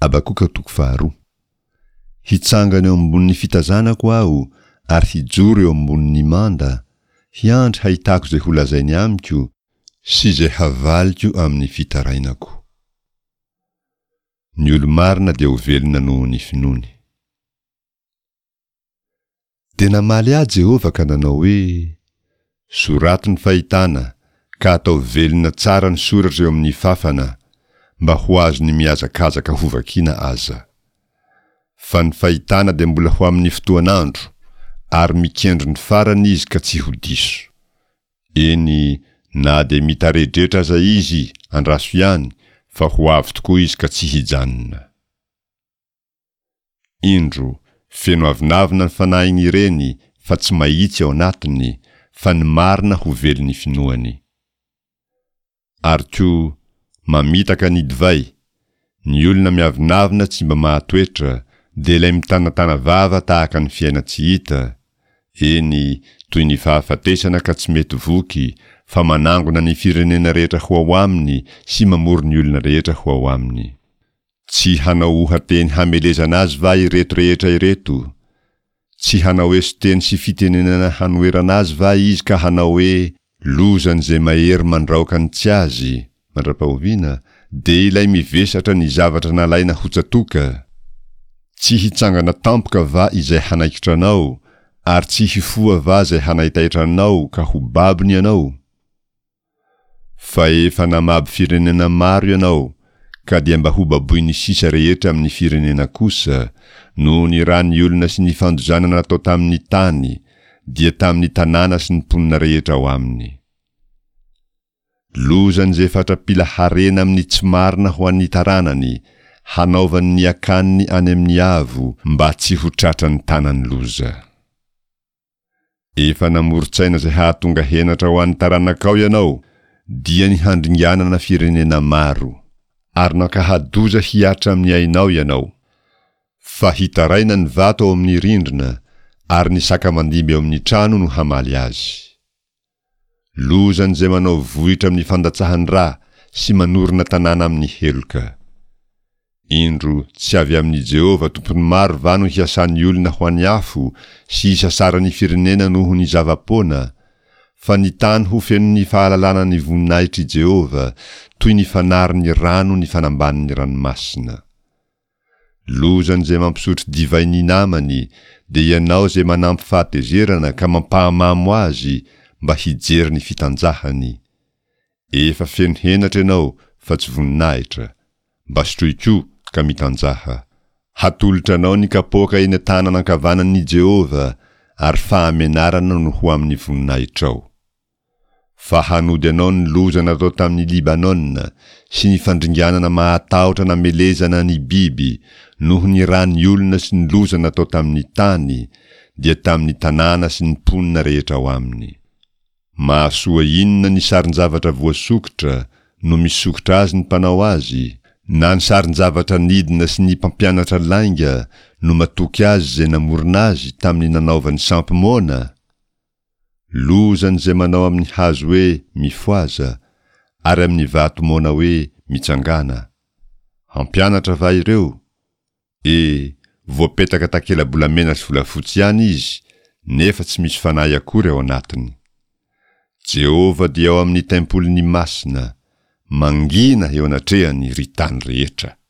Habakoka toko faharoa. Hitsangana eo ambonin'ny fitazanako aho ary hijoro eo ambonin'ny manda, hiandry hahitako izay holazainy amiko sy izay havaliko amin'ny fitarainako. Ny olo-marina dia ho velona noho ny finoany. Dia namaly ahy Jehovah ka nanao hoe, Soraty ny fahitana, ka ataovy velona tsara ny soratra eo amin'ny fafana, mba ho azon'ny mihazakazaka hovakina aza. Fa ny fahitana dia mbola ho amin'ny fotoan'andro, ary mikendry ny farany izy ka tsy ho diso. Eny, na dia mitaredretra aza izy, andraso ihany, fa ho avy tokoa izy ka tsy hijanona. Indro, feno avonavona ny fanahiny ireny fa tsy mahitsy ao anatiny, fa ny marina ho velon'ny finoany. Ary koa, mamitaka ny divay, ny olona miavonavona tsy mba mahatoetra, dia ilay mitanatana vava tahaka ny fiainan-tsy hita, eny, toy ny fahafatesana ka tsy mety voky, fa manangona ny firenena rehetra ho ao aminy sy mamory ny olona rehetra ho ao aminy. Tsy hanao oha-teny hamelezana azy va ireto rehetra ireto? Tsy hanao eso-teny sy fitenenana hanoherana azy va izy ka hanao hoe, Lozan'izay mahery mandraoka ny tsy azy, mandra-pahoviana, dia ilay mivesatra ny zavatra nalaina ho tsatoka? Tsy hitsangana tampoka va izay hanaikitra anao, ary tsy hifoha va izay hanaitaitra anao ka ho babony ianao? Fa efa namabo firenena maro ianao, ka dia mba hobaboin'ny sisa rehetra amin'ny firenena kosa, noho ny ran'ny olona sy ny fandozana natao tamin'ny tany, dia tamin'ny tanàna sy ny mponina rehetra ao aminy. Lozan'izay fatra-pila harena amin'ny tsy marina ho an'ny taranany, hanaovany ny akaniny any amin'ny avo, mba tsy ho tratran'ny tanan'ny loza. Efa namoron-tsaina izay hahatonga henatra ho an'ny taranakao ianao, dia ny handringanana firenena maro. Ary nankahadoza hihatra amin'ny ainao ianao. Fa hitaraina ny vato ao amin'ny rindrina, ary ny saka mandimby ao amin'ny trano no hamaly azy. Lozan'izay manao vohitra amin'ny fandatsahan-dra sy manorina tanàna amin'ny heloka. Indro, tsy avy amin'i Jehovah Tompon'ny maro va no hiasan'ny olona ho an'ny afo sy hisasaran'ny firenena noho ny zava-poana? Fa ny tany ho fenon'ny fahalalana ny voninahitr'i Jehovah, toy ny fanarin'ny rano ny fanambanin'ny ranomasina. Lozan'izay mampisotro divay ny namany, dia ianao izay manampy fahatezerana ka mampahamamo azy mba hijery ny fitanjahany. Efa feno henatra ianao fa tsy voninahitra. Mba sotroy koa ka mitanjaha. Hatolotra anao ny kapoaka eny an-tanana ankavanan'i Jehovah, ary fahamenarana no ho amin'ny voninahitrao. Fa hanody anao ny loza natao tamin'i Libanona, sy ny fandringanana mahatahotra namelezana ny biby, noho ny ran'ny olona sy ny loza natao tamin'ny tany, dia tamin'ny tanàna sy ny mponina rehetra ao aminy. Mahasoa inona ny sarin-javatra voasokitra no misokitra azy ny mpanao azy? Na ny sarin-javatra nidina sy ny mpampianatra lainga no matoky azy izay namorona azy tamin'ny nanaovany sampy moana? Lozan'izay manao amin'ny hazo hoe mifohaza, ary amin'ny vato moana hoe mitsangàna. Hampianatra va ireo? E, voapetaka takela-bolamena sy volafotsy ihany izy, nefa tsy misy fanahy akory ao anatiny. Jehovah dia ao amin'ny tempoliny masina, mangina eo anatrehany ry tany rehetra.